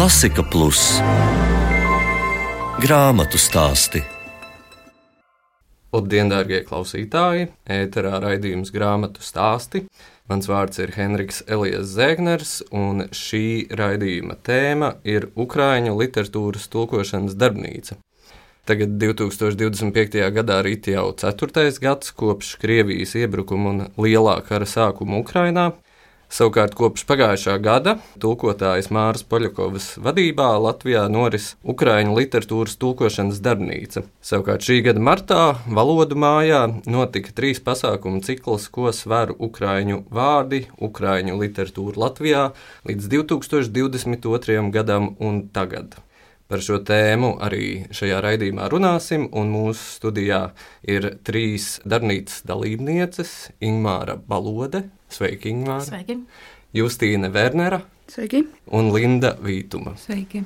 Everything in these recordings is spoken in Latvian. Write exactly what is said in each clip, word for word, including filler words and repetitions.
Klasika Plus grāmatu stāsti. Labdien, dārgie klausītāji! Ēterā raidījums grāmatu stāsti. Mans vārds ir Henriks Elijas Zēgners, un šī raidījuma tēma ir Ukraiņu literatūras tulkošanas darbnīca. Tagad divi tūkstoši divdesmit piektajā gadā rit jau ceturtais gads kopš Krievijas iebrukuma un lielā kara sākuma Ukrainā. Savukārt kopš pagājušā gada tulkotājas Māras Poļakovas vadībā Latvijā noris Ukraiņu literatūras tulkošanas darbnīca. Savukārt šī gada martā Valodu mājā notika trīs pasākumu cikls, ko sver ukraiņu vārdi, ukraiņu literatūra Latvijā līdz divi tūkstoši divdesmit otrajam gadam un tagad. Par šo tēmu arī šajā raidījumā runāsim, un mūsu studijā ir trīs darbnīcas dalībnieces – Ingmāra Balode. Sveiki, Ingmāra. Sveiki. Justīne Vernera. Sveiki. Un Linda Vītuma. Sveiki.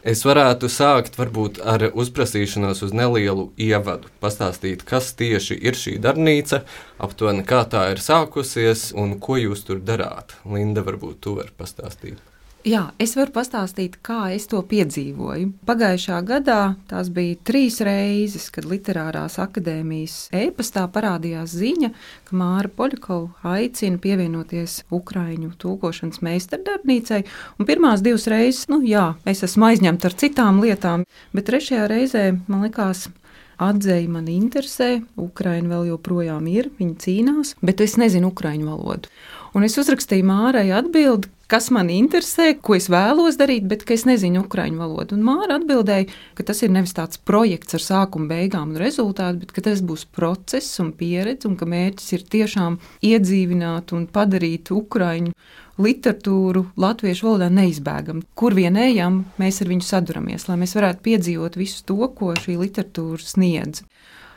Es varētu sākt varbūt ar uzprasīšanos uz nelielu ievadu, pastāstīt, kas tieši ir šī darbnīca, aptuveni kā tā ir sākusies un ko jūs tur darāt. Linda, varbūt tu vari pastāstīt. Jā, es varu pastāstīt, kā es to piedzīvoju. Pagājušā gadā tās bija trīs reizes, kad Literārās akadēmijas e-pastā parādījās ziņa, ka Māra Poļakova aicina pievienoties Ukraiņu tulkošanas meistardarbnīcai. Un pirmās divas reizes, nu jā, es esmu aizņemta ar citām lietām, bet trešajā reizē man likās, atzeja man interesē, Ukraina vēl joprojām ir, viņa cīnās, bet es nezinu ukraiņu valodu. Un es uzrakstīju Mārai atbildi, kas man interesē, ko es vēlos darīt, bet ka es nezinu ukraiņu valodu. Un Māra atbildēja, ka tas ir nevis tāds projekts ar sākumu, beigām un rezultātu, bet ka tas būs process un pieredze, un ka mērķis ir tiešām iedzīvināt un padarīt ukraiņu literatūru latviešu valodā neizbēgam. Kur vien ejam, mēs ar viņu saduramies, lai mēs varētu piedzīvot visu to, ko šī literatūra sniedz.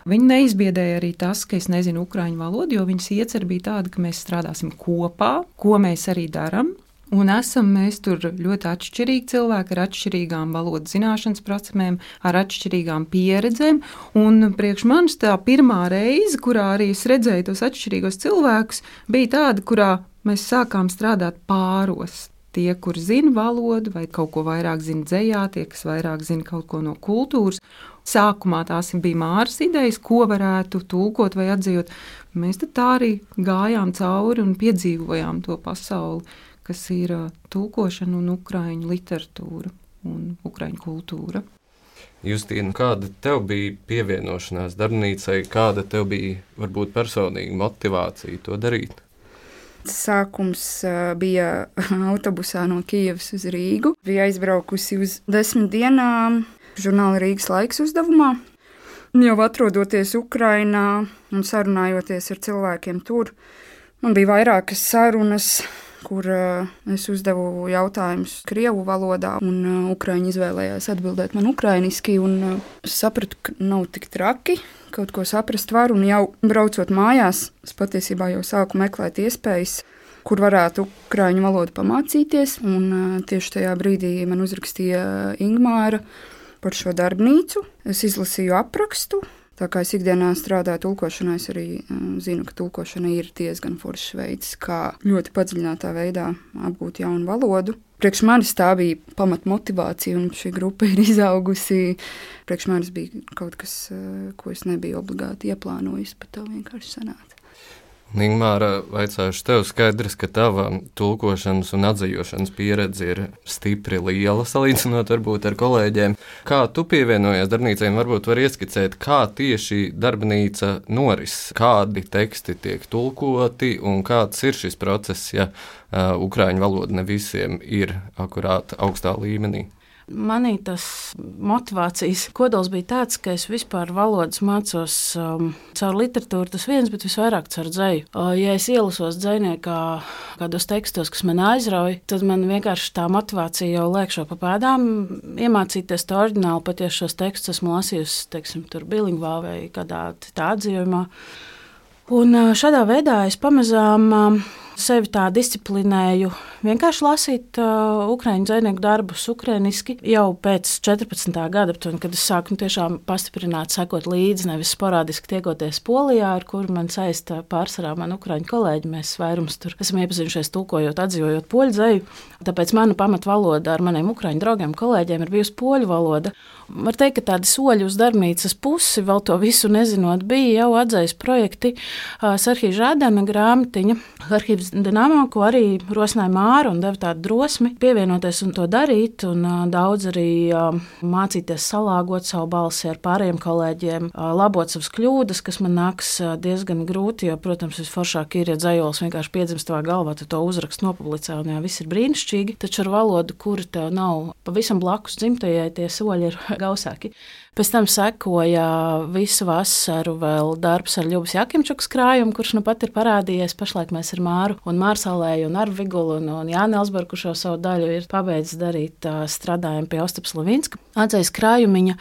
Viņa neizbiedēja arī tas, ka es nezinu ukraiņu valodu, jo viņas iecer bija tāda, ka mēs strādāsim kopā, ko mēs arī daram. Un esam mēs tur ļoti atšķirīgi cilvēki ar atšķirīgām valodas zināšanas prasmēm, ar atšķirīgām pieredzēm. Un priekš manis tā pirmā reize, kurā arī es redzēju tos atšķirīgos cilvēkus, bija tāda, kurā mēs sākām strādāt pāros. Tie, kur zina valodu vai kaut ko vairāk zina dzejā, tie, kas vairāk zina kaut ko no kultūras. Sākumā tās bija Māras idejas, ko varētu tulkot vai atzījot. Mēs tad tā arī gājām cauri un piedzīvojām to pasauli, kas ir tulkošana un ukraiņu literatūra un ukraiņu kultūra. Justīna, kāda tev bija pievienošanās darbnīcai, kāda tev bija varbūt personīga motivācija to darīt? Sākums bija autobusā no Kijevas uz Rīgu. Bija aizbraukusi uz desmit dienām žurnāla Rīgas laiks uzdevumā. Jau atrodoties Ukrainā un sarunājoties ar cilvēkiem tur, man bija vairākas sarunas, kur es uzdevu jautājumus krievu valodā, un ukraiņi izvēlējās atbildēt man ukrainiski, un es sapratu, ka nav tik traki, kaut ko saprast var, un jau braucot mājās, es patiesībā jau sāku meklēt iespējas, kur varētu ukraiņu valodu pamācīties, un tieši tajā brīdī man uzrakstīja Ingmāra par šo darbnīcu. Es izlasīju aprakstu. Tā kā es ikdienā strādāju tulkošanā, es arī zinu, ka tulkošana ir diezgan foršs veids, kā ļoti padziļinātā veidā apgūt jaunu valodu. Priekš manis tā bija pamat motivācija, un šī grupa ir izaugusi. Priekš manis bija kaut kas, ko es nebiju obligāti ieplānojis, bet tā vienkārši sanāca. Ingmāra, vaicāšu tev, skaidrs, ka tava tulkošanas un atzījošanas pieredze ir stipri liela, salīdzinot varbūt ar kolēģiem. Kā tu pievienojies darbnīcai, varbūt var ieskicēt, kā tieši darbnīca noris, kādi teksti tiek tulkoti un kāds ir šis process, ja uh, ukraiņu valoda ne visiem ir akurāt augstā līmenī? Manī tas motivācijas kodols bija tāds, ka es vispār valodas mācos um, caur literatūru, tas viens, bet visvairāk caur dzeju. Uh, ja es ielasos dzejniekā kādos tekstos, kas man aizrauj, tad man vienkārši tā motivācija jau liekšo pa pēdām iemācīties to oriģinālu, pat ja šos tekstus esmu lasījusi, teiksim, tur bilingvā vai kādā tā atzījumā. Un uh, šādā veidā es pamazām uh, sevi tā disciplinēju, vienkārši lasīt uh, ukraiņu dzejnieku darbus ukrainiski jau pēc četrpadsmitā gada, aptuveni, kad es sāku nu, tiešām pastiprināt, sekot līdzi, nevis sporādiski tiekoties Polijā, ar kuru man saista pārsvarā man ukraiņu kolēģi. Mēs vairums tur esam iepazinušies tulkojot, atzīvojot poļu dzeju. Tāpēc mana pamatvaloda ar maniem ukraiņu draugiem, kolēģiem ir bijusi poļu valoda. Var teikt, ka tādi soļi uz darbnīcas pusi, vēl to visu nezinot, bija jau atzejas projekti Serhija Žādana grāmatiņa Arhīvs Dinamo, ko arī rosināja Māra un deva tādu drosmi pievienoties un to darīt, un daudz arī mācīties salāgot savu balsi ar pārējiem kolēģiem, labot savas kļūdas, kas man nāks diezgan grūti, jo, protams, visforšāk ir, ja dzejols vienkārši piedzimst tavā galvā, tu to uzrakst nopublicē, un jā, viss ir brīnišķīgi, taču ar valodu, kura tev nav pavisam blakus dzimtajai, tie soļi ir gausāki. Pēc tam sekoja visu vasaru vēl darbs ar Ļubas Jakimčukas krājumu, kurš nu pat ir parādījies. Pašlaik mēs ar Māru un Mārsalēju un Arvigulu un, un Jāni Elsbergu, kurš jau savu daļu ir pabeidzis darīt strādājumu pie Ostapas Levinska atzejas krājumiņa.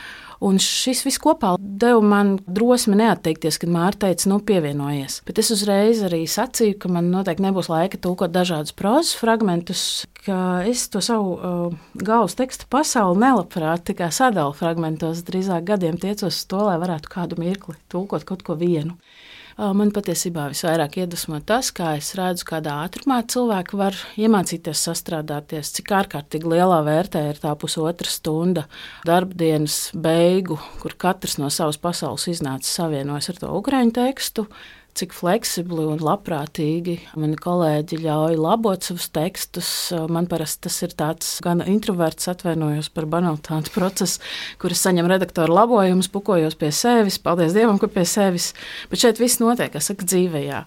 Un šis viss kopā deva man drosmi neatteikties, kad Māra teica, nu pievienojies. Bet es uzreiz arī sacīju, ka man noteikti nebūs laika tulkot dažādus prozas fragmentus, ka es to savu uh, galvas tekstu pasauli nelabprāt tikai sadalu fragmentos, drīzāk gadiem tiecos uz to, lai varētu kādu mirkli tulkot kaut ko vienu. Man patiesībā visvairāk iedvesmo tas, kā es redzu, kādā ātrumā cilvēki var iemācīties sastrādāties, cik ārkārtīgi lielā vērtē ir tā pusotra stunda darbdienas beigu, kur katrs no savas pasaules iznāca savienojas ar to ukraiņu tekstu, cik fleksibli un labprātīgi mani kolēģi ļauj labot savus tekstus. Man parasti tas ir tāds gan introverts, atvainojos par banalitāti procesu, kur es saņemu redaktoru labojumus, pukojos pie sevis, paldies Dievam, ka pie sevis, bet šeit viss notiek, kā saka, dzīvējā.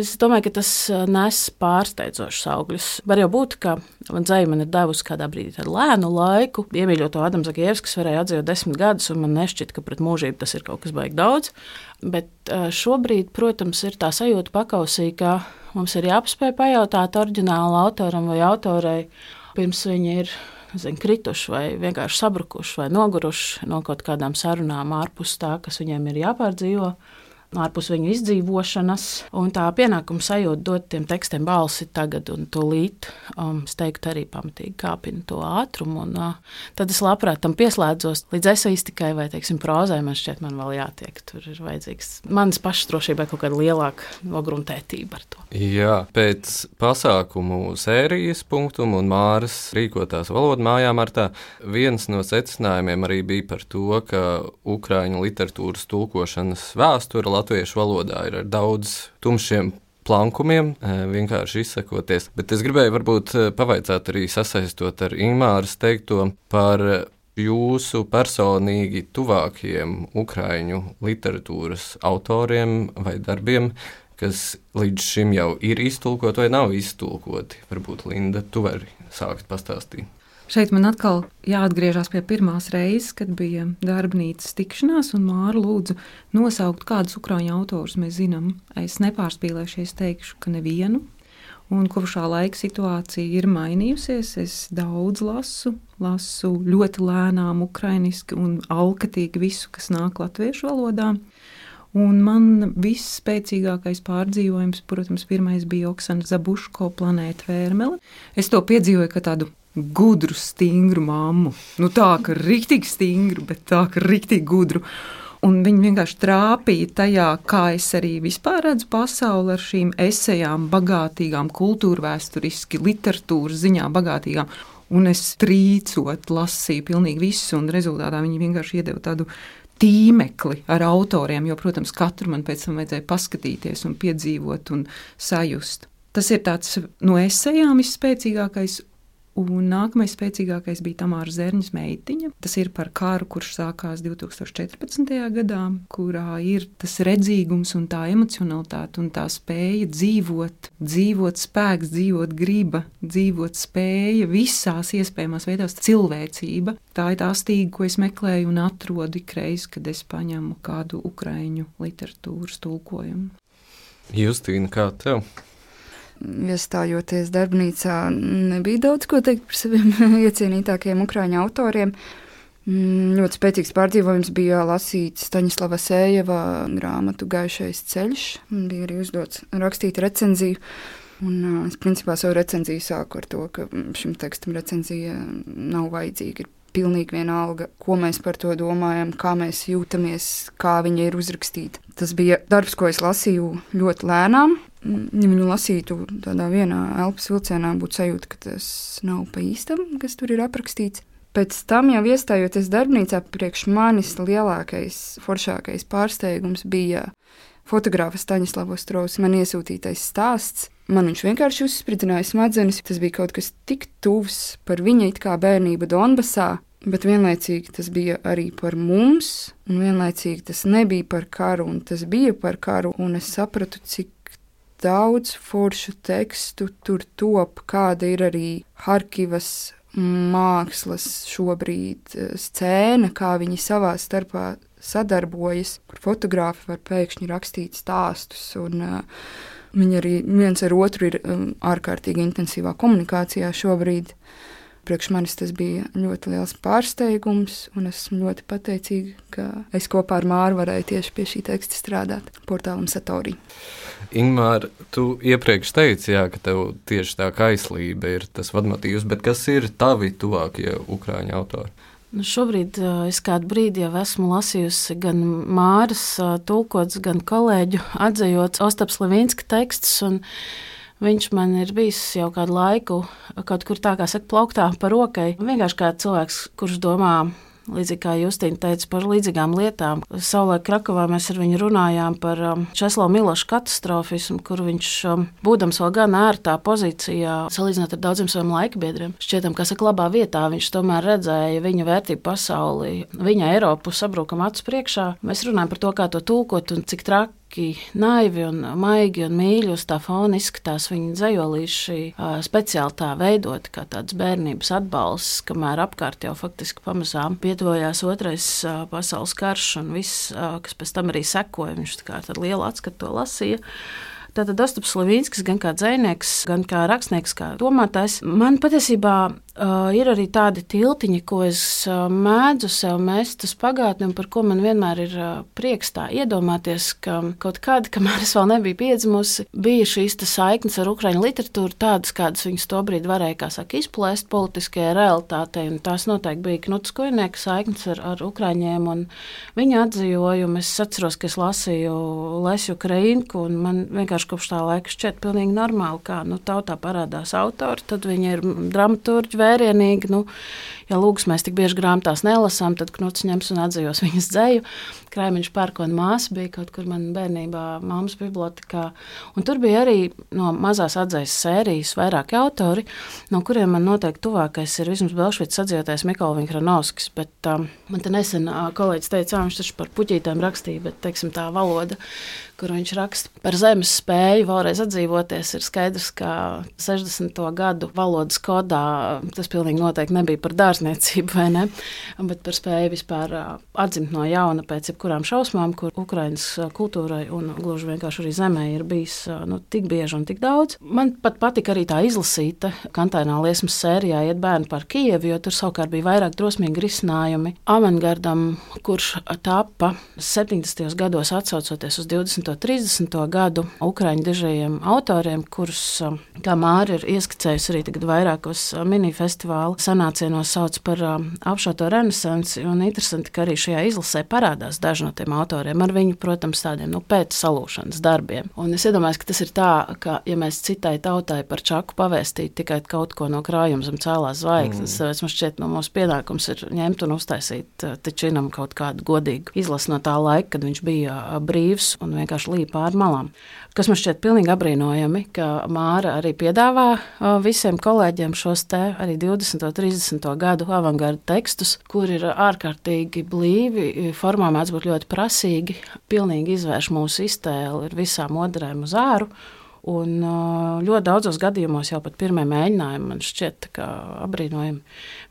Es domāju, ka tas nes pārsteidzošus augļus. Var jau būt, ka dzeja man ir devusi kādā brīdī tādu lēnu laiku, iemīļot to Adamu Zagievski, kas varēja atzīt desmit gadus, un man nešķita, ka pret mūžību tas ir kaut kas baigi daudz. Bet šobrīd, protams, ir tā sajūta pakausī, ka mums ir jāpaspēj pajautāt oriģināla autoram vai autorei, pirms viņi ir zin, krituši vai vienkārši sabrukuši vai noguruši no kaut kādām sarunām ārpus tā, kas viņiem ir jāpārdzīvo, ārpus viņu izdzīvošanas, un tā pienākuma sajūta dot tiem tekstiem balsi tagad un tūlīt, um, es teiktu, arī pamatīgi kāpina to ātrumu, un uh, tad es labprāt tam pieslēdzos līdz eseistikai vai, teiksim, prozai, man šķiet, man vēl jātiek, tur ir vajadzīgs manas pašas drošībai kaut kāda lielāka nogruntētība ar to. Jā, pēc pasākumu sērijas punktumu un Māras rīkotās valodu mājā martā, viens no secinājumiem arī bija par to, ka ukraiņu literatūras tulkošanas vēsture latviešu valodā ir ar daudz tumšiem plankumiem, vienkārši izsakoties. Bet es gribēju varbūt pavaicāt arī sasaistot ar Ingmāras teikto par jūsu personīgi tuvākajiem ukraiņu literatūras autoriem vai darbiem, kas līdz šim jau ir iztulkoti vai nav iztulkoti. Varbūt, Linda, tu vari sākt pastāstīt. Šeit man atkal jāatgriežas pie pirmās reizes, kad bija darbnīcas tikšanās, un Māra lūdzu nosaukt, kādus ukraiņu autorus mēs zinām. Es nepārspīlēšies teikšu, ka nevienu, un kopš šā laika situācija ir mainījusies. Es daudz lasu, lasu ļoti lēnām ukrainiski un alkatīgi visu, kas nāk latviešu valodā. Un man viss spēcīgākais pārdzīvojums, protams, pirmais bija Oksana Zabuško Planēta Vērmele. Es to piedzīvoju kā tādu gudru, stingru mammu. Nu tā, ka riktīgi stingru, bet tā, ka riktīgi gudru. Un viņi vienkārši trāpīja tajā, kā es arī vispār redzu pasauli ar šīm esejām, bagātīgām, kultūrvēsturiski, literatūras ziņā bagātīgām. Un es trīcot lasīju pilnīgi visu, un rezultātā viņi vienkārši iedeva tādu tīmekli ar autoriem, jo, protams, katru man pēc tam vajadzēja paskatīties un piedzīvot un sajust. Tas ir tāds no esejām visspēcīgākais. Un nākamais spēcīgākais bija Tamāra Zerņas Meitiņa. Tas ir par karu, kurš sākās divi tūkstoši četrpadsmitajā gadā, kurā ir tas redzīgums un tā emocionalitāte un tā spēja dzīvot, dzīvot spēks, dzīvot griba, dzīvot spēja visās iespējamās veidās cilvēcība. Tā ir tā stīga, ko es meklēju un atrodu ikreiz, kad es paņemu kādu ukraiņu literatūras tulkojumu. Justīna, kā tev? Iestājoties darbnīcā, nebija daudz ko teikt par saviem iecienītākajiem ukraiņu autoriem. Ļoti spēcīgs pārdzīvojums bija lasīt Staņislava Sējeva grāmatu Gaišais ceļš. Bija arī uzdots rakstīt recenziju. Un es principā savu recenziju sāku ar to, ka šim tekstam recenzija nav vajadzīga. Ir pilnīgi vienalga, ko mēs par to domājam, kā mēs jūtamies, kā viņa ir uzrakstīta. Tas bija darbs, ko es lasīju ļoti lēnām. Ja viņu lasītu tādā vienā elpas vilcienā, būtu sajūta, ka tas nav pa īstam, kas tur ir aprakstīts. Pēc tam, jau iestājoties darbnīcā, priekš manis lielākais, foršākais pārsteigums bija fotografa Staņislava Ostrova man iesūtītais stāsts. Man viņš vienkārši uzspridzināja smadzenes. Tas bija kaut kas tik tuvs par viņa it kā bērnību Donbasā, bet vienlaicīgi tas bija arī par mums, un vienlaicīgi tas nebija par karu, un tas bija par karu, un es sapratu, cik daudz foršu tekstu tur top, kāda ir arī Harkivas mākslas šobrīd scēna, kā viņi savā starpā sadarbojas, kur fotogrāfi var pēkšņi rakstīt stāstus, un uh, viņi arī viens ar otru ir um, ārkārtīgi intensīvā komunikācijā šobrīd. Priekš manis tas bija ļoti liels pārsteigums, un esmu ļoti pateicīga, ka es kopā ar Māru varēju tieši pie šī teksta strādāt portālam Satorī. Ingmār, tu iepriekš teici, jā, ka tev tieši tā kaislība ir tas vadmotīvs, bet kas ir tavi tuvākie ukrāņu autori? Nu, šobrīd uh, es kādu brīdi jau esmu lasījusi gan Māras uh, tulkots, gan kolēģu atzejots Ostaps Levinska tekstus, un viņš man ir bijis jau kādu laiku kaut kur tā kā saka plauktā pa rokai. Vienkārši kā cilvēks, kurš domā, līdzīgi kā Justīna teica, par līdzīgām lietām. Savulaik Krakovā mēs ar viņu runājām par um, Česlava Miloša katastrofismu, kur viņš, um, būdams vēl gan ērtā pozīcijā, salīdzinot ar daudziem saviem laikbiedriem, šķietam, ka saka labā vietā, viņš tomēr redzēja viņa vērtību pasaulī, viņa Eiropu sabrukam acu priekšā. Mēs runājam par to, kā to tulkot un cik traki, naivi un maigi un mīļi uz tā fona izskatās viņa dzejolīši uh, speciāli tā veidot, kā tāds bērnības atbalsts, kamēr apkārt jau faktiski pamazām pietuvojās otrais uh, pasaules karš un viss, uh, kas pēc tam arī sekoja, viņš tā kā ar lielu atskatu to lasīja. Tātad Ostaps Levinskis gan kā dzejnieks, gan kā rakstnieks, kā domātājs. Man patiesībā uh, ir arī tādi tiltiņi, ko es uh, mēdzu sev mest uz pagātni un par ko man vienmēr ir uh, prieks tā iedomāties, ka kaut kādi, kamēr es vēl nebiju piedzimusi, bija šīs saiknes ar ukraiņu literatūru tādas, kādas viņas tobrīd varēja, kā saka, izplēst politiskajai realitātei, un tās noteikti bija Knuts Kujnieka saiknes ar, ar ukraiņiem un viņa atzījojumu. Es atceros, ka es lasīju Lesju Ukrainku, un man vienkārši kopš tā laika šķiet pilnīgi normāli, kā nu, tautā parādās autori, tad viņi ir dramaturģi vērienīgi. Nu, ja lūgs mēs tik bieži grāmatās nelasām, tad Knuts ņems un atzījos viņas dzeju. Kraimiņš Pērkona māsa bija kaut kur man bērnībā mammas bibliotekā. Un tur bija arī no mazās atzejas sērijas vairāki autori, no kuriem man noteikti tuvākais ir vismaz Belšvicas atzījotais Mikola Vinhranovskis, bet um, man te nesen uh, kolēģis teica, viņš taču par puķītēm rakstīja, bet, teiksim, tā valoda, kur viņš raksta par zemes spēju vēlreiz atdzīvoties, ir skaidrs, ka sešdesmito gadu valodas kodā tas pilnīgi noteikti nebija par dārzniecību, vai ne, bet par spēju vispār atdzimt no jauna pēc jebkurām šausmām, kur Ukrainas kultūrai un gluži vienkārši arī zemē ir bijis nu, tik bieži un tik daudz. Man pat patika arī tā izlasīta Kantainā liesmas sērijā Iet bērni par Kijevu, jo tur savukārt bija vairāk drosmīgi risinājumi avangardam, kurš tapa septiņdesmitajos gados atsaucoties uz divdesmito trīsdesmito gadu ukraiņu dižajiem autoriem, kurus, kā Māra ir ieskicējusi arī tagad vairākos minifestivāla sanācienos sauc par apšauto renesansi, un interesanti, ka arī šajā izlasē parādās daži no tiem autoriem ar viņu, protams, tādiem nu, pēc salūšanas darbiem. Un es iedomājos, ka tas ir tā, ka, ja mēs citai tautai par Čaku pavēstītu tikai kaut ko no krājuma zem cēlās zvaigznes, mm. man šķiet, no mūsu pienākums ir ņemt un uztaisīt Tečinam kaut kādu godīgu izlasi no tā laika, kad viņš bija brīvs un vienkārši līja pār malām. Kas man šķiet pilnīgi abrīnojami, ka Māra arī piedāvā visiem kolēģiem šos te arī divdesmito trīsdesmito gadu avangarda tekstus, kur ir ārkārtīgi blīvi, formā mēdz būt ļoti prasīgi, pilnīgi izvērš mūsu iztēli ar visām odarēm uz āru. Un ļoti daudzos gadījumos jau pat pirmie mēģinājumi man šķiet abrīnojami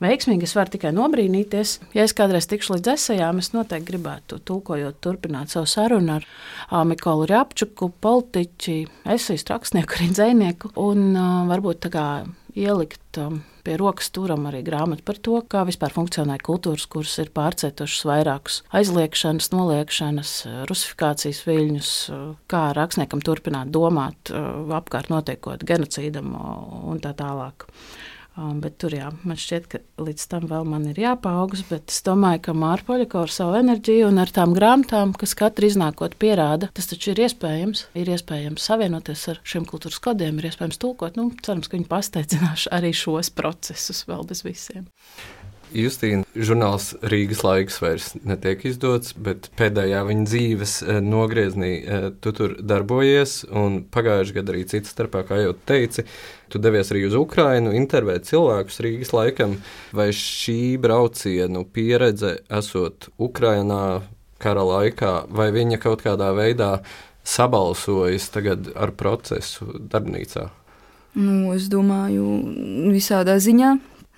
veiksmīgi. Es varu tikai nobrīnīties. Ja es kādreiz tikšu līdz esejām, es noteikti gribētu tulkojot turpināt savu sarunu ar Mikolu Rjapčuku, politiķi, esejistu, rakstnieku, arī dzejnieku. Un varbūt tā kā ielikt um, pie rokas turam arī grāmatu par to, kā vispār funkcionē kultūras, kuras ir pārcietušas vairākus aizliekšanas, noliekšanas, rusifikācijas viļņus, kā rakstniekam turpināt domāt apkārt notiekot genocīdam un tā tālāk. Um, bet tur jā, man šķiet, ka līdz tam vēl man ir jāpaaugs, bet es domāju, ka Māra Poļakova ar savu enerģiju un ar tām grāmatām, kas katru iznākot pierāda, tas taču ir iespējams, ir iespējams savienoties ar šiem kultūras kodiem, ir iespējams tulkot, nu, cerams, ka viņi pasteicināšu arī šos procesus vēl bez visiem. Justīna, žurnāls Rīgas laiks vairs netiek izdots, bet pēdējā viņa dzīves nogrieznī tu tur darbojies, un pagājuši gadu arī cita starpā, kā jau teici, tu devies arī uz Ukrainu, intervēt cilvēkus Rīgas laikam. Vai šī braucienu pieredze esot Ukrainā kara laikā, vai viņa kaut kādā veidā sabalsojas tagad ar procesu darbnīcā? Nu, es domāju, visādā ziņā.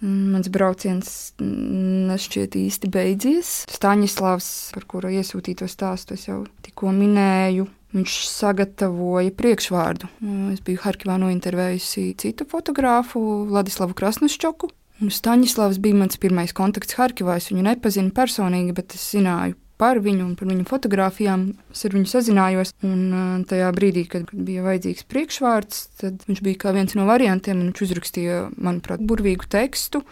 Mans brauciens nešķiet īsti beidzies. Staņislavs, par kuru iesūtīto stāstu es jau tikko minēju, viņš sagatavoja priekšvārdu. Es biju Harkivā nointervējusi citu fotogrāfu, Vladislavu Krasnoščoku. Staņislavs bija mans pirmais kontakts Harkivā. Es viņu nepazinu personīgi, bet es zināju par viņu un par viņu fotogrāfijām. Es ar viņu sazinājos, un tajā brīdī, kad bija vajadzīgs priekšvārds, tad viņš bija kā viens no variantiem, un viņš uzrakstīja, manuprāt, burvīgu tekstu.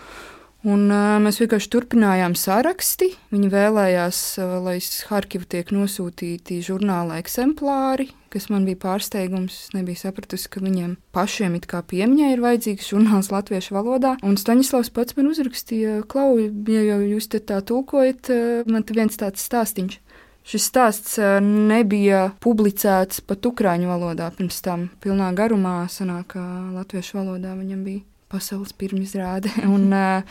Un uh, mēs vienkārši turpinājām saraksti. Viņi vēlējās, uh, lai uz Harkivu tiek nosūtīti žurnāla eksemplāri, kas man bija pārsteigums. Es nebiju sapratusi, ka viņiem pašiem it kā piemiņai ir vajadzīgs žurnāls latviešu valodā. Un Staņislavs pats man uzrakstīja, Klau, ja jau jūs te tā tulkojat, uh, man te viens tāds stāstiņš. Šis stāsts uh, nebija publicēts pat ukraiņu valodā pirms tam. Pilnā garumā sanāk, ka latviešu valodā viņam bija pasaules pirmizrāde. Un uh,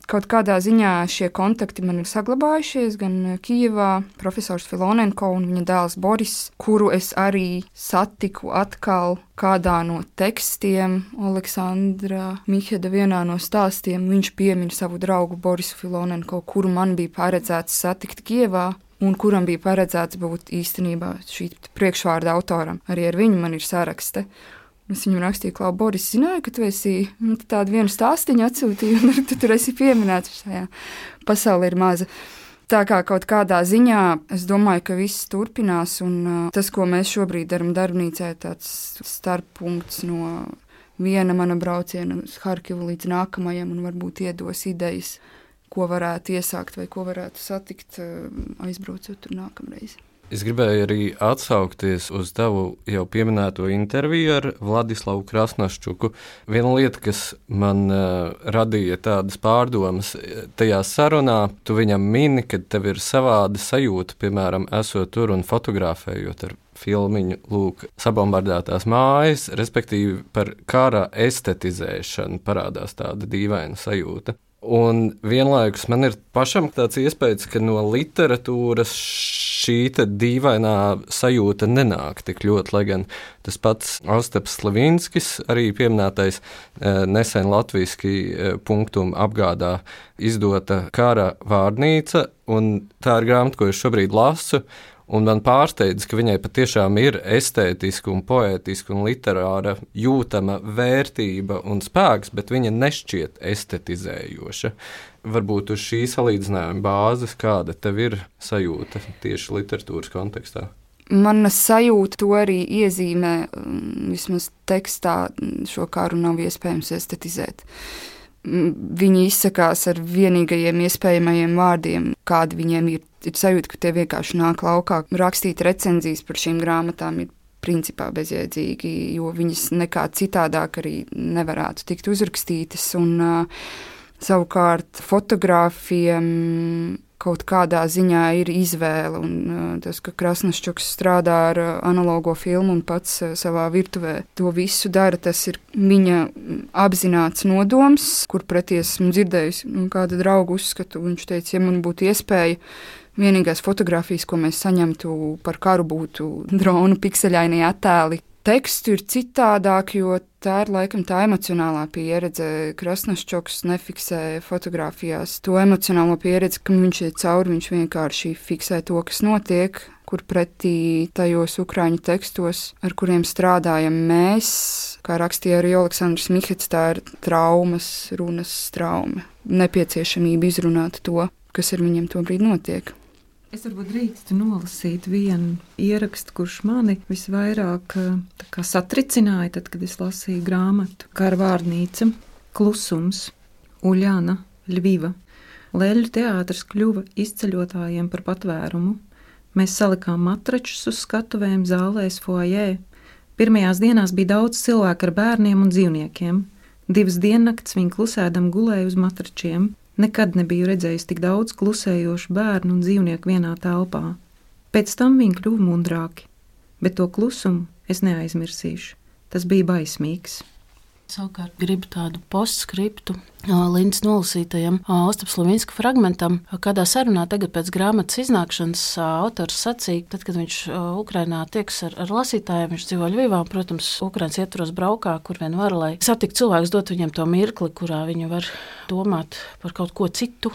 kaut kādā ziņā šie kontakti man ir saglabājušies gan Kijevā, profesors Filonenko un viņa dēls Boris, kuru es arī satiku atkal kādā no tekstiem. Aleksandra Miheda vienā no stāstiem viņš piemin savu draugu Borisu Filonenko, kuru man bija paredzēts satikt Kijevā un kuram bija paredzēts būt īstenībā šī priekšvārda autoram. Arī ar viņu man ir sarakste. Es viņam rakstīju, Klau, Boris, zināju, ka tu esi tādu vienu stāstiņu atsūtīju, un tu tur esi pieminēts šajā pasaulē ir maza. Tā kā kaut kādā ziņā es domāju, ka viss turpinās, un uh, tas, ko mēs šobrīd daram darbnīcā, ir tāds starppunkts no viena mana brauciena uz Harkivu līdz nākamajam, un varbūt iedos idejas, ko varētu iesākt vai ko varētu satikt, uh, aizbraucot tur nākamreiz. Es gribēju arī atsaukties uz tavu jau pieminēto interviju ar Vladislavu Krasnoščuku. Viena lieta, kas man uh, radīja tādas pārdomas tajā sarunā, tu viņam mini, ka tev ir savāda sajūta, piemēram, esot tur un fotografējot ar filmiņu, lūk, sabombardētās mājas, respektīvi par kara estetizēšanu parādās tāda dīvaina sajūta. Un vienlaikus man ir pašam tāds iespējas, ka no literatūras šī dīvainā sajūta nenāk tik ļoti, lai gan tas pats Ostaps Slavinskis, arī pieminētais nesen latviski punktum apgādā izdota kara vārnīca, un tā ir grāmata, ko es šobrīd lasu. Un man pārsteidz, ka viņai patiešām ir estētiska un poētiska un literāra jūtama vērtība un spēks, bet viņa nešķiet estetizējoša. Varbūt uz šī salīdzinājuma bāzes kāda tev ir sajūta tieši literatūras kontekstā? Mana sajūta to arī iezīmē, vismaz tekstā šo karu nav iespējams estetizēt. Viņi izsakās ar vienīgajiem iespējamajiem vārdiem, kādi viņiem ir. Ir sajūta, ka tie vienkārši nāk laukā. Rakstīt recenzijas par šīm grāmatām ir principā bezjēdzīgi, jo viņas nekā citādāk arī nevarētu tikt uzrakstītas. Un uh, savukārt fotogrāfiem kaut kādā ziņā ir izvēle. Un uh, tas, ka Krasnoščuks strādā ar uh, analogo filmu un pats uh, savā virtuvē to visu dara, tas ir viņa apzināts nodoms, kur pretī esmu dzirdējusi nu, kāda drauga uzskatu. Viņš teica, ja man būtu iespēja, vienīgās fotogrāfijas, ko mēs saņemtu par karu, būtu dronu pikseļainie attēli. Tekstu ir citādāk, jo tā ir laikam tā emocionālā pieredze. Krasnoščuks nefiksē fotogrāfijās to emocionālo pieredzi, ka viņš iet cauri, viņš vienkārši fiksē to, kas notiek. kur pretī tajos ukraiņu tekstos, ar kuriem strādājam mēs, kā rakstīja arī Oleksandrs Mihets, tā ir traumas, runas trauma, nepieciešamība izrunāt to, kas ar viņiem tobrīd notiek. Es varbūt drīkstu nolasīt vienu ierakstu, kurš mani visvairāk kā, satricināja, tad, kad es lasīju grāmatu Kara vārnīca, Klusums, Uļana, Ļviva. Leļu teātris kļuva izceļotājiem par patvērumu. Mēs salikām matračus uz skatuvēm zālēs foajē. Pirmajās dienās bija daudz cilvēku ar bērniem un dzīvniekiem. Divas diennakts viņi klusēdam gulēja uz matračiem. Nekad nebiju redzējis tik daudz klusējošu bērnu un dzīvnieku vienā telpā. Pēc tam viņi kļuva mundrāki, bet to klusumu es neaizmirsīšu. Tas bija baismīgs. Savukārt gribu tādu postskriptu Lindas nolasītajam Ostaps Levinska fragmentam. Kādā sarunā tagad pēc grāmatas iznākšanas autors sacīja, tad, kad viņš Ukrainā tieks ar, ar lasītājiem, viņš dzīvo Ļvivā, protams, Ukrainas ietvaros braukā, kur vien var, lai satikt cilvēkus, dot viņiem to mirkli, kurā viņi var domāt par kaut ko citu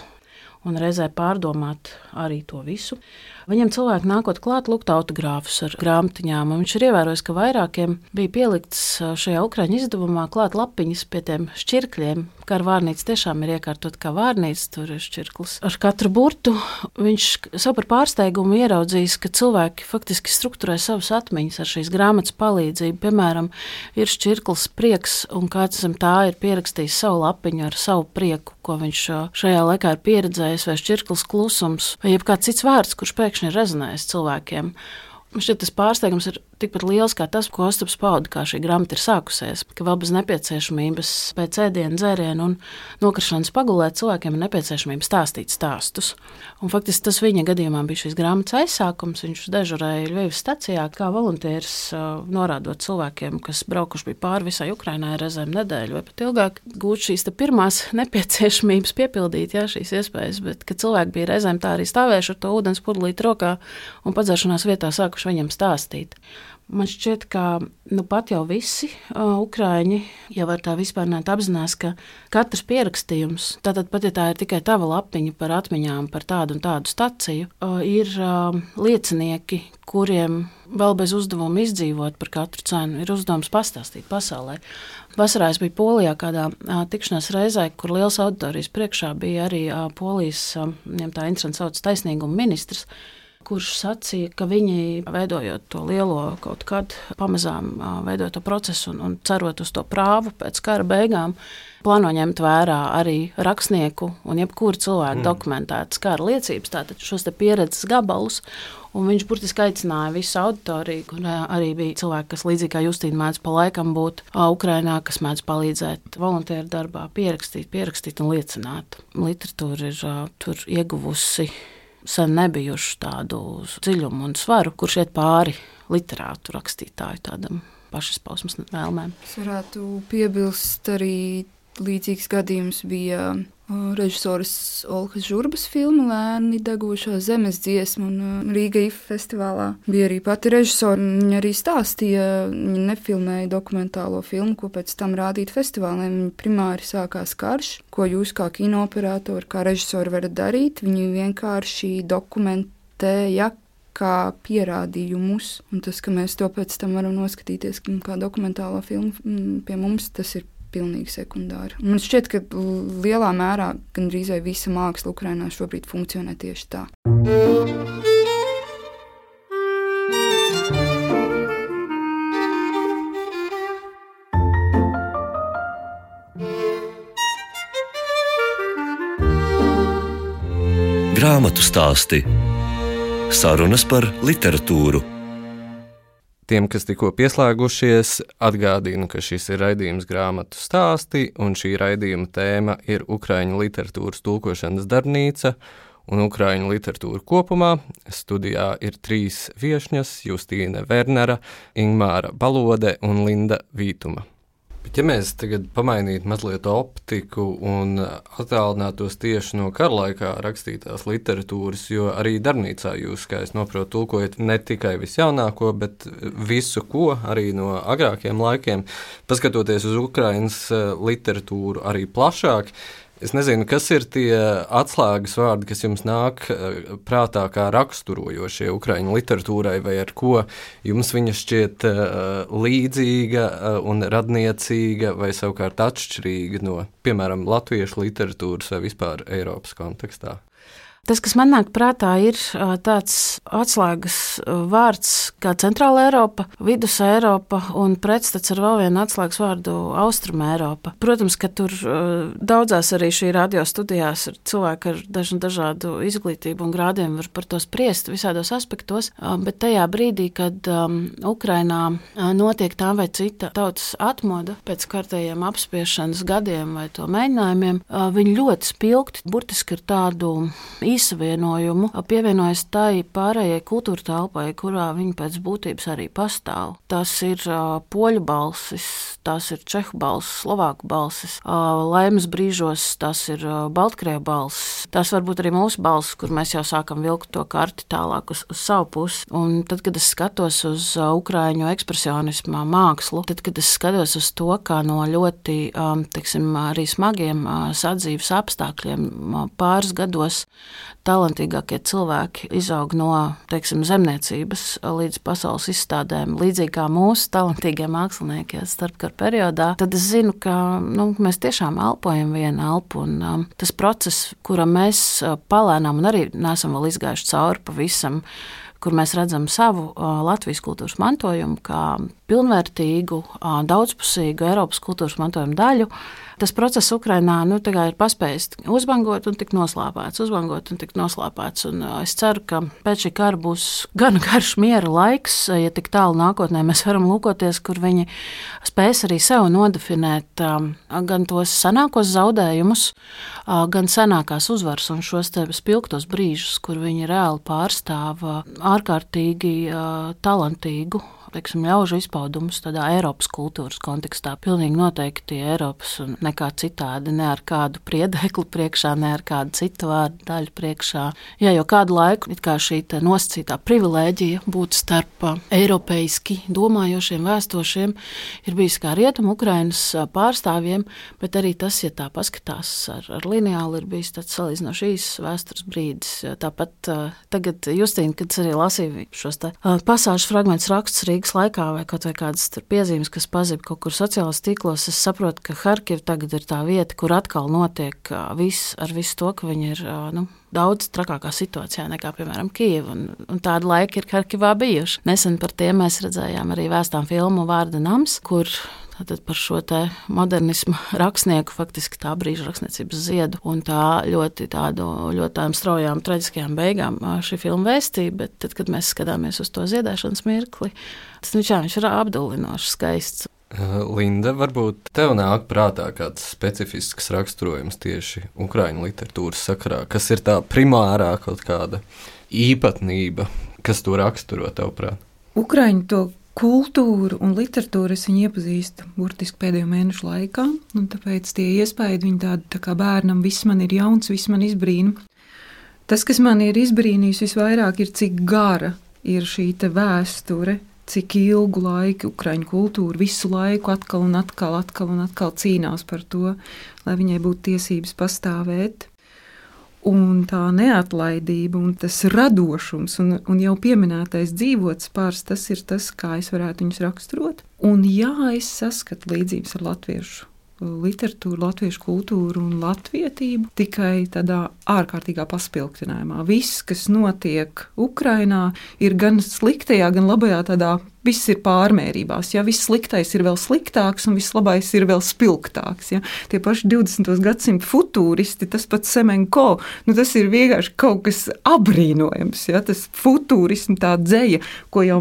un reizē pārdomāt arī to visu. Viņam cilvēki nākot klāt lūgt autogrāfus ar grāmatiņām, un viņš ir ievērojis, ka vairākiem bija pielikts šajā ukraiņu izdevumā klāt lapiņas pie tiem šķirkļiem. Kara vārnīca tiešām ir iekārtot kā vārnīca, tur ir šķirklis. Ar katru burtu viņš savu par pārsteigumu ieraudzījis, ka cilvēki faktiski strukturē savas atmiņas ar šīs grāmatas palīdzību. Piemēram, ir šķirklis prieks, un kāds zem tā ir pierakstījis savu lapiņu ar savu prieku, ko viņš šajā laikā ir pieredzējis, vai šķirklis klusums, vai jebkāds cits vārds, kurš pēkšņi ir rezonējis cilvēkiem. Man šķiet, tas pārsteigums ir tikpat liels kā tas, ko Ostaps pauda, kā šī grāmata ir sākusies, ka vēl bez nepieciešamības pēc ēdienu, dzērienu un nokrišanas pagulēt cilvēkiem ir nepieciešamība stāstīt stāstus. Un faktiski tas viņa gadījumā bija šīs grāmatas aizsākums. Viņš dežurēja Ļvivas stacijā kā volunteers, norādot cilvēkiem, kas braukuši bija pāri visai Ukrainai reizēm nedēļu vai pat ilgāk, gūt šīs pirmās nepieciešamības piepildīt, jā, šīs iespējas, bet ka cilvēki bija reizēm tā arī stāvējuši ar to ūdens pudelīti rokā un padzeršanās vietā sākuši viņam stāstīt. Man šķiet, ka nu pat jau visi uh, ukraiņi jau var tā vispārnēt apzinās, ka katrs pierakstījums, tātad pat ja tā ir tikai tava lapiņa par atmiņām par tādu un tādu staciju, uh, ir uh, liecinieki, kuriem vēl bez uzdevuma izdzīvot par katru cenu, ir uzdevums pastāstīt pasaulē. Vasarā es biju Polijā kādā uh, tikšanās reizē, kur liels auditorijas priekšā bija arī uh, Polijas, uh, viņam tā interesanti sauc taisnīguma ministrs, kurš sacīja, ka viņi, veidojot to lielo kaut kad, pamazām veidojot to procesu un, un cerot uz to prāvu pēc kara beigām, plāno ņemt vērā arī rakstnieku un jebkuru cilvēku mm. dokumentētas kara liecības, tātad šos te pieredzes gabalus, un viņš burtiski aicināja visu auditoriju, kur arī bija cilvēki, kas līdzīgi kā Justīna mēdz pa laikam būt Ukrainā, kas mēdz palīdzēt volunteeru darbā, pierakstīt, pierakstīt un liecināt. Literatūra ir tur ieguvusi sen nebijuši tādu dziļumu un svaru, kurš iet pāri literātu rakstītāju tādam pašizpausmes vēlmēm. Es varētu piebilst arī līdzīgs gadījums bija režisoras Olhas Žurbas filma Lēni degošā zemes dziesma, un Rīga I F A festivālā bija arī pati režisora. Viņa arī stāstīja, viņa nefilmēja dokumentālo filmu, ko pēc tam rādīt festivāliem. Viņa primāri sākās karš, ko jūs kā kinooperatori, kā režisori varat darīt. Viņi vienkārši dokumentēja kā pierādījumus, un tas, ka mēs to pēc tam varam noskatīties kā dokumentālo filmu, pie mums tas ir pilnīgi sekundāri. Man šķiet, ka lielā mērā gandrīz vai visa māksla Ukrainā šobrīd funkcionē tieši tā. Grāmatu stāsti. Sarunas par literatūru. Tiem, kas tikko pieslēgušies, atgādinu, ka šis ir raidījums Grāmatu stāsti, un šī raidījuma tēma ir ukraiņu literatūras tulkošanas darbnīca un ukraiņu literatūra kopumā. Studijā ir trīs viešņas – Justīne Vernera, Ingmāra Balode un Linda Vītuma. Bet ja mēs tagad pamainītu mazliet optiku un attālinātos tieši no kara laikā rakstītās literatūras, jo arī darbnīcā jūs, kā es noprotu, tulkojat ne tikai visjaunāko, bet visu ko, arī no agrākiem laikiem, paskatoties uz Ukrainas literatūru arī plašāk, Es nezinu, kas ir tie atslēgas vārdi, kas jums nāk prātā kā raksturojošie ukraiņu literatūrai, vai ar ko jums viņa šķiet līdzīga un radniecīga, vai savukārt atšķirīga no, piemēram, latviešu literatūras vai vispār Eiropas kontekstā? Tas, kas man nāk prātā, ir tāds atslēgas vārds kā Centrāla Eiropa, Vidus Eiropa un pretstats ar vēl vienu atslēgas vārdu Austrum Eiropa. Protams, ka tur daudzās arī šī radio studijās ir cilvēki ar dažu dažādu izglītību un grādiem var par to spriest visādos aspektos, bet tajā brīdī, kad um, Ukrainā notiek tā vai cita tautas atmoda pēc kārtējiem apspiešanas gadiem vai to mēģinājumiem, viņi ļoti spilgti, burtiski ir tādu īsavienojumu, pievienojas tai pārējai kultūra telpai, kurā viņi pēc būtības arī pastāv. Tas ir uh, poļu balsis, tas ir čehu balsis, slovāku balsis, uh, laimes brīžos tas ir uh, baltkrievu balsis, tas varbūt arī mūsu balsis, kur mēs jau sākam vilkt to karti tālāk uz, uz savu pusi. Un tad, kad es skatos uz uh, ukraiņu ekspresionismā mākslu, tad, kad es skatos uz to, kā no ļoti, um, teiksim, arī smagiem uh, sadzīves apstākļiem uh, pāris gados talantīgākie cilvēki izaug no, teiksim, zemniecības līdz pasaules izstādēm, līdzīgi kā mūsu talantīgie mākslinieki starpkara periodā, tad es zinu, ka nu, mēs tiešām elpojam vienu elpu, un um, tas process, kuram mēs uh, palēnām un arī neesam vēl izgājuši cauri pavisam, kur mēs redzam savu uh, Latvijas kultūras mantojumu kā pilnvērtīgu, uh, daudzpusīgu Eiropas kultūras mantojumu daļu. Tas process Ukrainā nu, ir paspējis uzbangot un tik noslāpēts, uzbangot un tik noslāpēts. Un uh, es ceru, ka pēc šī kara būs gan garš miera laiks, ja tik tālu nākotnē mēs varam lūkoties, kur viņi spēs arī sev nodefinēt um, gan tos senākos zaudējumus, uh, gan senākās uzvaras un šos te spilgtos brīžus, kur viņi reāli pārstāv uh, ārkārtīgi uh, talantīgu, teiksim, ļaužu izpaudumus tādā Eiropas kultūras kontekstā. Pilnīgi noteikti Eiropas un nekā citādi, ne ar kādu priedekli priekšā, ne ar kādu citu vārdu daļu priekšā. Jā, jo kādu laiku it kā šī nosacītā privilēģija būt starp eiropeiski domājošiem vēstošiem ir bijis kā rietumu Ukrainas pārstāvjiem, bet arī tas, ja tā paskatās ar, ar lineāli, ir bijis tāds salīdzinoši īsts vēstures brīdis. Tāpat tagad Justīna, kad es arī lasīju šos te pasāžu fragmentus rakstus Rīgas laikā vai kaut vai kādas piezīmes, kas pazib kaut kur sociālos tīklos, es saprotu, ka Harkiva tagad ir tā vieta, kur atkal notiek viss ar visu to, ka viņi ir nu, daudz trakākā situācijā nekā, piemēram, Kijeva, un, un tāda laika ir Harkivā bijuši. Nesen par tiem mēs redzējām arī vēstām filmu Vārda nams, kur tātad par šo te modernismu rakstnieku, faktiski tā brīža rakstniecības ziedu un tā ļoti tādu, ļoti tādām straujām, traģiskajām beigām šī filma vēstīja, bet tad, kad mēs skatāmies uz to ziedēšanas mirkli, tas nu, čā, viņš ir apdullinoši skaists. Linda, varbūt tev nāk prātā kāds specifisks raksturojums tieši ukraiņu literatūras sakarā, kas ir tā primārā kaut kāda īpatnība, kas to raksturo tev prāt? Ukraiņu to kultūru un literatūru es viņu iepazīstu burtiski pēdējo mēnešu laikā, un tāpēc tie iespēja viņi tādi tā kā bērnam, viss man ir jauns, viss man izbrīna. Tas, kas man ir izbrīnījis visvairāk, ir cik gara ir šī te vēsture, cik ilgu laiku ukraiņu kultūra visu laiku atkal un atkal, atkal un atkal cīnās par to, lai viņai būtu tiesības pastāvēt. Un tā neatlaidība un tas radošums un, un jau pieminētais dzīvotspārs, tas ir tas, kā es varētu viņus raksturot. Un jā, es saskatu līdzības ar latviešu literatūru, latviešu kultūru un latvietību, tikai tādā ārkārtīgā paspilgtinājumā. Viss, kas notiek Ukrainā, ir gan sliktajā, gan labajā tādā, viss ir pārmērībās. Ja? Viss sliktais ir vēl sliktāks un viss labais ir vēl spilgtāks. Ja? Tie paši divdesmitā gadsimta futūristi, tas pats Semenko, nu tas ir vienkārši kaut kas abrīnojams. Ja? Tas futūrismu tā dzeja, ko jau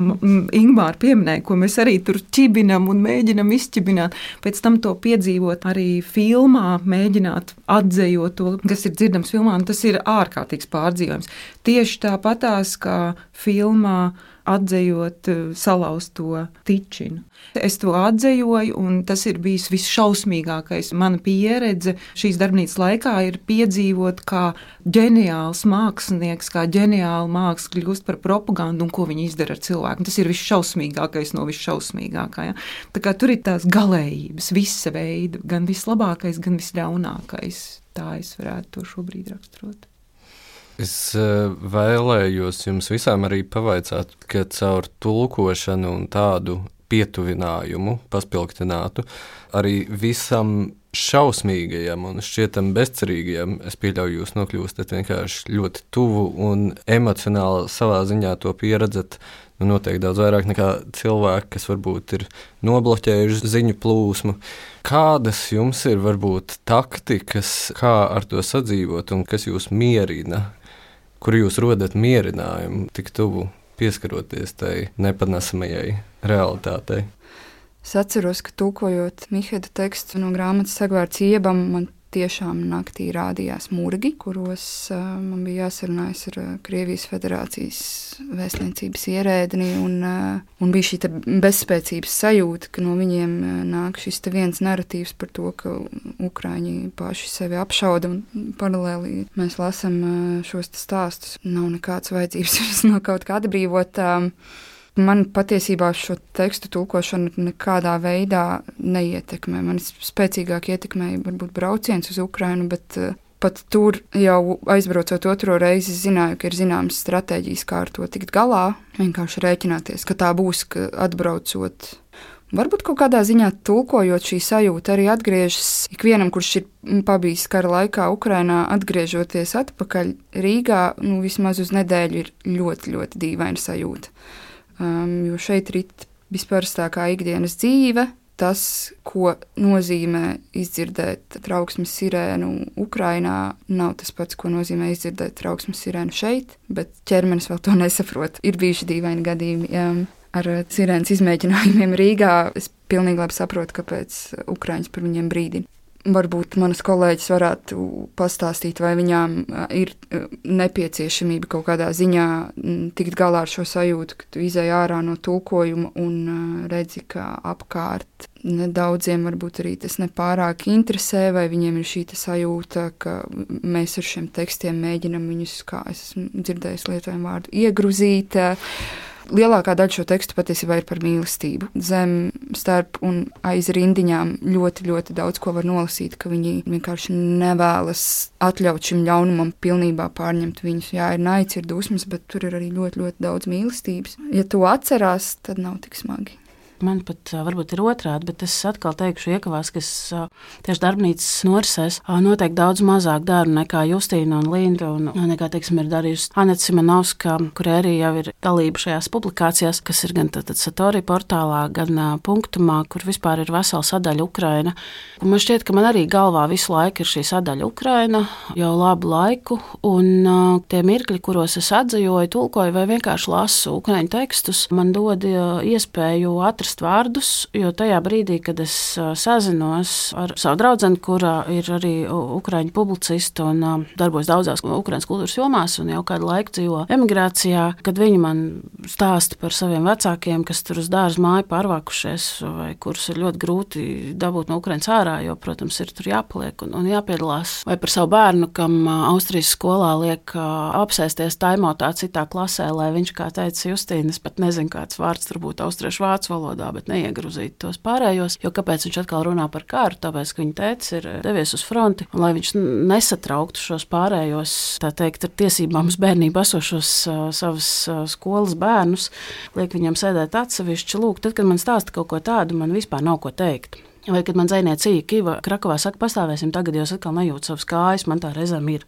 Ingmāra pieminēja, ko mēs arī tur ķibinam un mēģinam izķibināt, pēc tam to piedzīvot arī filmā, mēģināt atzējot to, kas ir dzirdams filmā, un tas ir ārkārtīgs pārdzīvojums. Tieši tāpatās, kā filmā atzējot salauzto tičinu. Es to atzējoju, un tas ir bijis visšausmīgākais. Mana pieredze šīs darbnīcas laikā ir piedzīvot, kā ģeniāls mākslinieks, kā ģeniāla māksla kļūst par propagandu un ko viņi izdara ar cilvēku. Tas ir visšausmīgākais no visšausmīgākā. Ja? Tā kā tur ir tās galējības, visa veida, gan vislabākais, gan visļaunākais. Tā es varētu to šobrīd raksturot. Es vēlējos jums visām arī pavaicāt, ka caur tulkošanu un tādu pietuvinājumu, paspilgtinātu, arī visam šausmīgajam un šķietam bezcerīgajam, es pieļauju, jūs nokļūstat vienkārši ļoti tuvu un emocionāli savā ziņā to pieredzat, nu noteikti daudz vairāk nekā cilvēki, kas varbūt ir nobloķējuši ziņu plūsmu. Kādas jums ir varbūt taktikas, kā ar to sadzīvot un kas jūs mierina? Kur jūs rodat mierinājumu tik tuvu pieskaroties tai nepanesamajai realitātei? Es atceros, ka tulkojot Mihēda tekstu no grāmatas Sagvārds Iebam, man tiešām naktī rādījās murgi, kuros uh, man bija jāsarunājas ar uh, Krievijas Federācijas vēstniecības ierēdni, un, uh, un bija šī bezspēcības sajūta, ka no viņiem uh, nāk šis te viens narratīvs par to, ka Ukraiņi paši sevi apšauda, un paralēli mēs lasam uh, šos stāstus. Nav nekāds vajadzības no kaut kā atbrīvot. Um, Man patiesībā šo tekstu tulkošana nekādā veidā neietekmē. Man spēcīgāk ietekmēja varbūt brauciens uz Ukrainu, bet uh, pat tur jau aizbraucot otro reizi zināju, ka ir zināmas stratēģijas, kā ar to tikt galā. Vienkārši rēķināties, ka tā būs, ka atbraucot. Varbūt kaut kādā ziņā tulkojot šī sajūta arī atgriežas ikvienam, kurš ir pabijis kara laikā Ukrainā, atgriežoties atpakaļ Rīgā, nu vismaz uz nedēļu ir ļoti, ļoti dīvaina sajūta. Um, jo šeit rit visparastākā ikdienas dzīve, tas, ko nozīmē izdzirdēt trauksmes sirēnu Ukrainā, nav tas pats, ko nozīmē izdzirdēt trauksmes sirēnu šeit, bet ķermenis vēl to nesaprot. Ir bijuši dīvaini gadījumi um, ar sirēnas izmēģinājumiem Rīgā. Es pilnīgi labi saprotu, kāpēc Ukraiņas par viņiem brīdina. Varbūt manas kolēģis varētu pastāstīt, vai viņām ir nepieciešamība kaut kādā ziņā tikt galā ar šo sajūtu, ka tu izej ārā no tulkojuma un redzi, ka apkārt nedaudziem varbūt arī tas nepārāk interesē, vai viņiem ir šī sajūta, ka mēs ar šiem tekstiem mēģinam viņus, kā es esmu dzirdējis lietojumu vārdu, iegruzīt. Lielākā daļa šo tekstu patiesībā ir par mīlestību. Zem, starp un aiz rindiņām ļoti, ļoti daudz ko var nolasīt, ka viņi vienkārši nevēlas atļaut šim ļaunumam pilnībā pārņemt viņus. Jā, ir naids, ir dusmas, bet tur ir arī ļoti, ļoti daudz mīlestības. Ja to atcerās, tad nav tik smagi. Man pat varbūt ir otrādi, bet es atkal teikšu iekavās, ka es tieši darbnīcas norisēs noteikti daudz mazāk daru nekā Justīna un Linda un nekā, teiksim, ir darījusi Aneta Simonovska, kur arī jau ir dalība šajās publikācijās, kas ir gan tātad Satori portālā, gan Punktumā, kur vispār ir vesela sadaļa Ukraina. Un man šķiet, ka man arī galvā visu laiku ir šī sadaļa Ukraina jau labu laiku, un tie mirkļi, kuros es atzījoju, tulkoju vai vienkārši lasu ukraiņu tekstus, man dod iespēju atrast vārdus, jo tajā brīdī, kad es sazinos ar savu draudzeni, kura ir arī ukraiņu publicista un darbojas daudzās ukraiņas kultūras jomās un jau kādu laiku dzīvo emigrācijā, kad viņi man stāsta par saviem vecākiem, kas tur uz dārza māju pārvākušies vai kurus ir ļoti grūti dabūt no Ukraiņas ārā, jo, protams, ir tur jāpaliek un, un jāpiedalās. Vai par savu bērnu, kam Austrijas skolā liek apsēsties taimotā citā klasē, lai viņš, kā teica Justīna, es pat nezinu, kāds vārds tur būtu austriešu vācu valodā, bet neiegruzīt tos pārējos, jo kāpēc viņš atkal runā par kāru, tāpēc, ka viņa tētis ir devies uz fronti, un lai viņš nesatrauktu šos pārējos, tā teikt, ar tiesībām uz bērnību esošos uh, savas uh, skolas bērnus, liek viņam sēdēt atsevišķi, lūk, tad, kad man stāsta kaut ko tādu, man vispār nav ko teikt. Vai, kad man dzejniece Kiva Krakovā saka, pastāvēsim tagad, jo es atkal nejūtu savas kājas, man tā reizēm ir.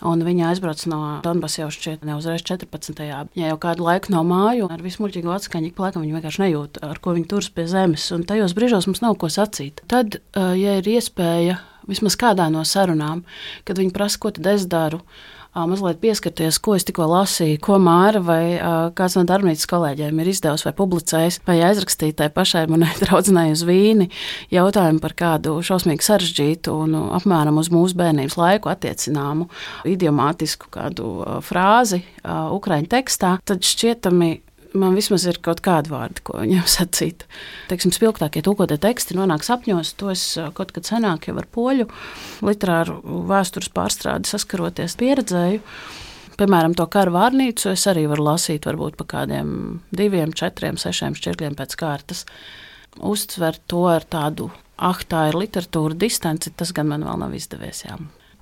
Un viņa aizbrauc no Donbasa jau šķiet ne uzreiz četrpadsmitajā Ja jau kādu laiku nav māju, ar vismuļķīgo atskaņu, ik laikam viņa vienkārši nejūt, ar ko viņa turas pie zemes, un tajos brīžos mums nav ko sacīt. Tad, ja ir iespēja, vismaz kādā no sarunām, kad viņi prasa, ko tad es daru, mazliet pieskarties, ko es tikko lasīju, ko Māra vai uh, kāds no darbnīcas kolēģiem ir izdevusi vai publicējis, vai aizrakstīt tai pašai manai draudzenei uz Vīni jautājumu par kādu šausmīgi sarežģītu un uh, apmēram uz mūsu bērnības laiku attiecināmu idiomātisku kādu uh, frāzi uh, ukraiņu tekstā, tad šķietami man vismaz ir kaut kādi vārdi, ko viņam sacīt. Teiksim, spilgtākie tulkotie teksti nonāk sapņos, to es kaut kad senāk jau ar poļu literāru vēstures pārstrādi saskaroties pieredzēju. Piemēram, to Kara vārnīcu es arī varu lasīt varbūt pa kādiem diviem, četriem, sešiem šķirkļiem pēc kārtas. Uztver to ar tādu, ah, tā ir literatūra distanci, tas gan man vēl nav izdevies, jā.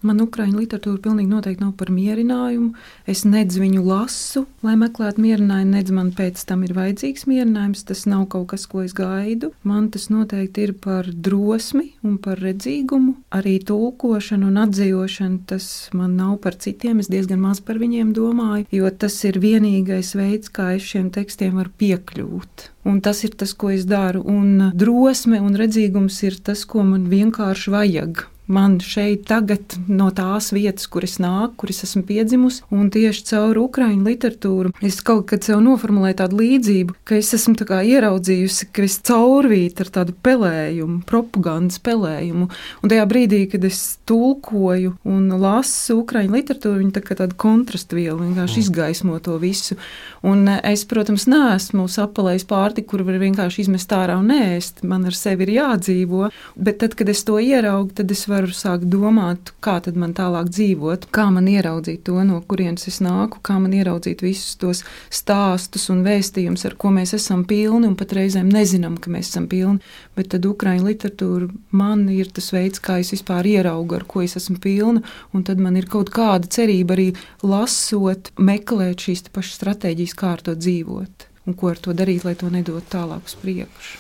Man ukraiņu literatūra pilnīgi noteikti nav par mierinājumu. Es nedz viņu lasu, lai meklētu mierinājumu, nedz man pēc tam ir vajadzīgs mierinājums. Tas nav kaut kas, ko es gaidu. Man tas noteikti ir par drosmi un par redzīgumu. Arī tulkošana un atzīšana, tas man nav par citiem. Es diezgan maz par viņiem domāju, jo tas ir vienīgais veids, kā es šiem tekstiem varu piekļūt. Un tas ir tas, ko es daru. Un drosme un redzīgums ir tas, ko man vienkārši vajag. Man šeit tagad no tās vietas, kur es nāku, kur es esmu piedzimusi, un tieši caur ukraiņu literatūru es kaut kad sev noformulēju tādu līdzību, ka es esmu tā kā ieraudzījusi, ka es caurvītu ar tādu pelējumu, propagandas pelējumu, un tajā brīdī, kad es tulkoju un lasu ukraiņu literatūru, viņa tā kā tāda kontrastviela vienkārši izgaismo to visu, un es, protams, neesmu sapalējis pārtiku, kur var vienkārši izmest ārā un ēst, man ar sevi ir jādzīvo, bet tad, kad es to ieraugu, tad es varu sākt domāt, kā tad man tālāk dzīvot, kā man ieraudzīt to, no kurienes es nāku, kā man ieraudzīt visus tos stāstus un vēstījumus, ar ko mēs esam pilni un pat reizēm nezinām, ka mēs esam pilni, bet tad ukraiņu literatūra man ir tas veids, kā es vispār ieraugu, ar ko es esmu pilna, un tad man ir kaut kāda cerība arī lasot, meklēt šīs pašas stratēģijas, kā ar to dzīvot un ko ar to darīt, lai to nedot tālāk uz priekšu.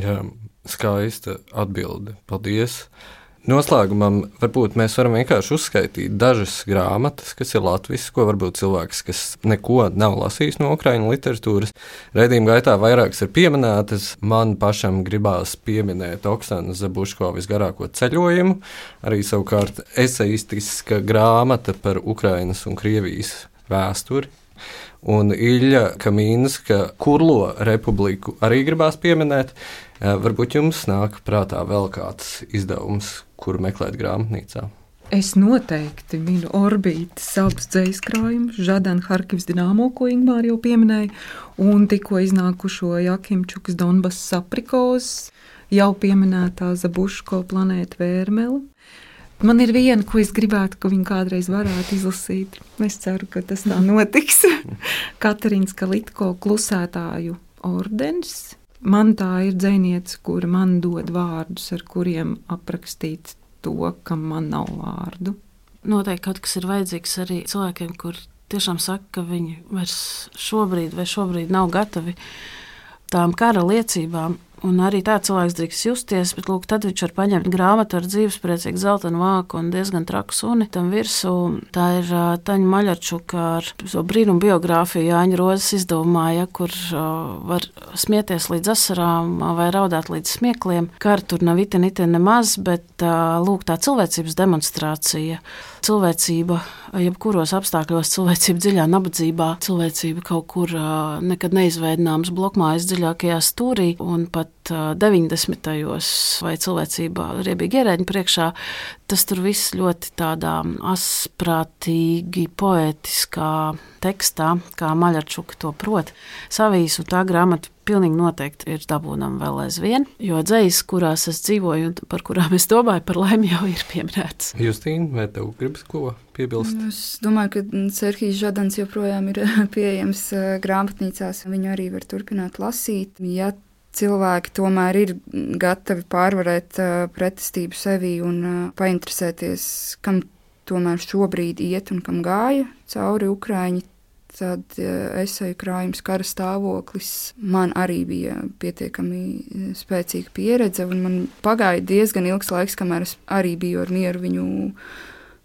Jā, skaista atbilde. Paldies! Noslēgumam varbūt mēs varam vienkārši uzskaitīt dažas grāmatas, kas ir latviskas, ko varbūt cilvēks, kas neko nav lasījis no ukraiņu literatūras. Raidījuma gaitā vairākas ir pieminētas. Man pašam gribās pieminēt Oksanu Zabuško visgarāko ceļojumu, arī savukārt eseistiska grāmata par Ukrainas un Krievijas vēsturi. Un Ilja Kamīnska Kurlo republiku arī gribās pieminēt. Varbūt jums nāk prātā vēl kāds izdevums, kuru meklēt grāmatnīcā? Es noteikti minu Orbītas abus dzejaskrājumus, Žadana Harkivas Dinamo, ko Ingmāra jau pieminēja, un tikko iznākušo Jakimčukas Donbass aprikos, jau pieminētā Zabuško Planēta Vērmele. Man ir viena, ko es gribētu, ka viņi kādreiz varētu izlasīt. Es ceru, ka tas tā notiks. Katarīnas Kalitko Klusētāju ordenis. Man tā ir dzejniece, kura man dod vārdus, ar kuriem aprakstīt to, kam man nav vārdu. Noteikti kaut kas ir vajadzīgs arī cilvēkiem, kur tiešām saka, ka viņi vairs šobrīd vai šobrīd nav gatavi tām kara liecībām. Un arī tā cilvēks drīkst justies, bet lūk, tad viņš var paņemt grāmatu ar dzīvespriecīgu zeltainu vāku un diezgan traku suni tam virsū. Tā ir uh, Taņa Maļarčuka ar so brīnumu biogrāfiju Jāņa Rozes izdevumā, ja, kur uh, var smieties līdz asarām uh, vai raudāt līdz smiekliem. Kara tur nav itin, itin nemaz, bet uh, lūk, tā cilvēcības demonstrācija, cilvēcība jebkuros apstākļos, cilvēcība dziļā nabadzībā, cilvēcība kaut kur uh, nekad neizveidināms blokmājas dziļākajā stūrī un pat deviņdesmitajos vai cilvēcībā riebīgi ierēģi priekšā, tas tur viss ļoti tādā asprātīgi, poētiskā tekstā, kā Maļarčuka to prot. Savīs un tā grāmata pilnīgi noteikti ir dabūnama vēl aizvien, jo dzejas, kurās es dzīvoju un par kurām es domāju, par laimi jau ir pieminēts. Justīna, vai tev gribas ko piebilst? Es domāju, ka Serhijs Žadans joprojām ir pieejams grāmatnīcās, viņu arī var turpināt lasīt. Ja cilvēki tomēr ir gatavi pārvarēt uh, pretestību sevi un uh, painteresēties, kam tomēr šobrīd iet un kam gāja cauri Ukraiņi, tad uh, eseju krājums Kara stāvoklis man arī bija pietiekami spēcīga pieredze, un man pagāja diezgan ilgs laiks, kamēr es arī biju ar mieru viņu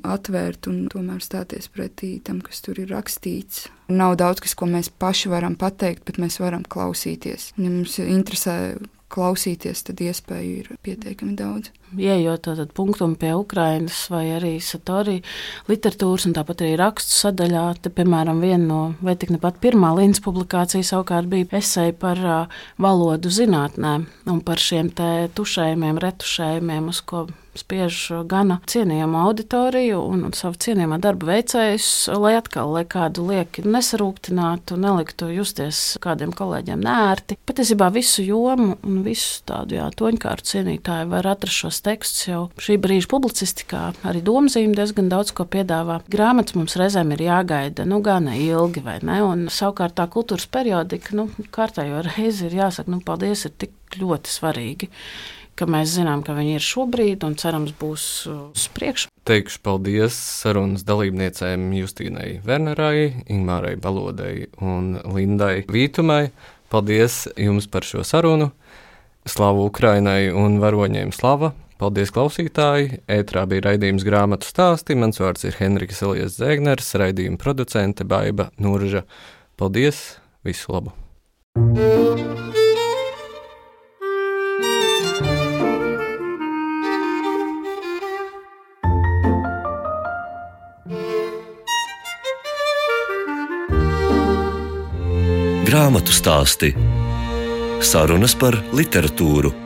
atvērt un tomēr stāties pretī tam, kas tur ir rakstīts. Nav daudz, kas, ko mēs paši varam pateikt, bet mēs varam klausīties. Ja mums interesē klausīties, tad iespēju ir pietiekami daudz. ieejot tātad punktumu pie Ukrainas vai arī Satori literatūras un tāpat arī rakstu sadaļā, te, piemēram, viena no, vai tik nepat pirmā Lindas publikācija savukārt bija eseja par uh, valodu zinātnēm un par šiem te tušējumiem, retušējumiem, uz ko spiež gana cienījama auditoriju un, un savu cienījamā darba veicējus, lai atkal, lai kādu lieki nesarūktinātu, neliktu justies kādiem kolēģiem neērti. Patiesībā visu jomu un visu tādu, jā, toņkārtu cienītāju var atrast šos tekstus jau šī brīža publicistikā. Arī domzīme diezgan daudz ko piedāvā. Grāmatas mums reizēm ir jāgaida, nu, gana ilgi, vai ne? Un savukārt tā kultūras periodika, nu, kārtējo reizi ir jāsaka, nu, paldies, ir tik ļoti svarīgi, ka mēs zinām, ka viņi ir šobrīd un cerams būs uz priekšu. Teikšu paldies sarunas dalībniecēm Justīnai Wernerai, Ingmārai Balodai un Lindai Vītumai. Paldies jums par šo sarunu. Slavu Ukrainai un varoņiem slava. Paldies, klausītāji. Ētrā bija raidījums Grāmatu stāsti. Mans vārds ir Henriks Elijas Zēgners, raidījuma producente Baiba Nurža. Paldies, visu labu! Grāmatu stāsti. Sarunas par literatūru.